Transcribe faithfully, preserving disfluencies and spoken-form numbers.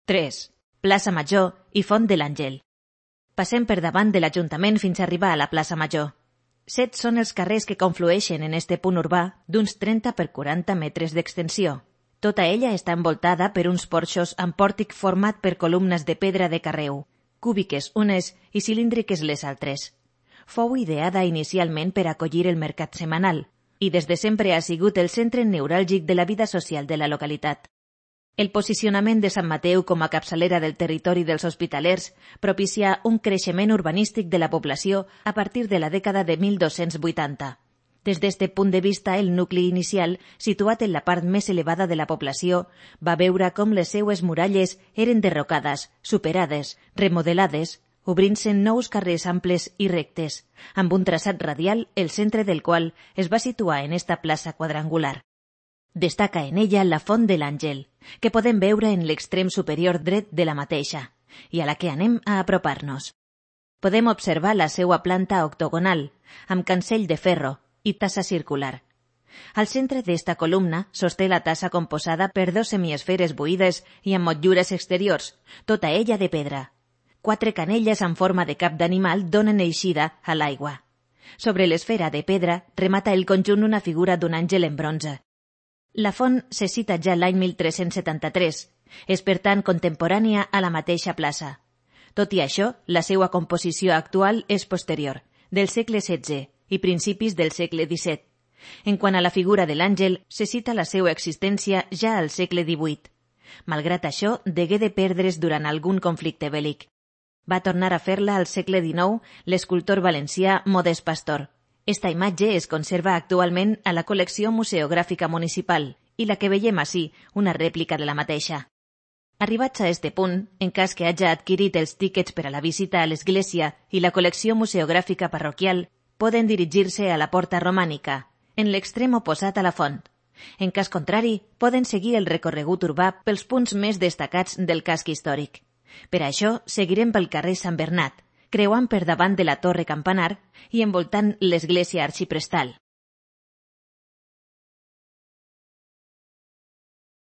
tres. Plaça Major i Font de l'Àngel. Passem per davant de l'Ajuntament fins a arribar a la plaça Major. Set són els carrers que conflueixen en este punt urbà d'uns trenta per quaranta metres d'extensió. Tota ella està envoltada per uns porxos amb pòrtic format per columnes de pedra de carreu, cúbiques unes i cilíndriques les altres. Fou ideada inicialment per acollir el mercat setmanal i des de sempre ha sigut el centre neuràlgic de la vida social de la localitat. El posicionament de Sant Mateu com a capçalera del territori dels hospitalers propicia un creixement urbanístic de la població a partir de la dècada de mil dos-cents vuitanta. Des d'este punt de vista, el nucli inicial, situat en la part més elevada de la població, va veure com les seues muralles eren derrocades, superades, remodelades, obrint-se nous carrers amples i rectes, amb un traçat radial el centre del qual es va situar en esta plaça quadrangular. Destaca en ella la Font de l'Àngel, que podem veure en l'extrem superior dret de la mateixa, i a la que anem a apropar-nos. Podem observar la seua planta octogonal, amb cancell de ferro i tassa circular. Al centre d'esta columna sosté la tassa composada per dos semiesferes buides i amb motllures exteriors, tota ella de pedra. Quatre canelles en forma de cap d'animal donen eixida a l'aigua. Sobre l'esfera de pedra remata el conjunt una figura d'un àngel en bronze. La font se cita ja l'any mil tres-cents setanta-tres. És, per tant, contemporània a la mateixa plaça. Tot i això, la seva composició actual és posterior, del segle setze i principis del segle disset. En quant a la figura de l'àngel, se cita la seva existència ja al segle divuit. Malgrat això, degué de perdre's durant algun conflicte bèl·lic. Va tornar a fer-la al segle dinou l'escultor valencià Modest Pastor. Esta imatge es conserva actualment a la col·lecció museogràfica municipal i la que veiem ací, una rèplica de la mateixa. Arribats a este punt, en cas que haja adquirit els tíquets per a la visita a l'església i la col·lecció museogràfica parroquial, poden dirigir-se a la porta romànica, en l'extrem oposat a la font. En cas contrari, poden seguir el recorregut urbà pels punts més destacats del casc històric. Per això, seguirem pel carrer Sant Bernat, creuant per davant de la torre campanar i envoltant l'església arxiprestal.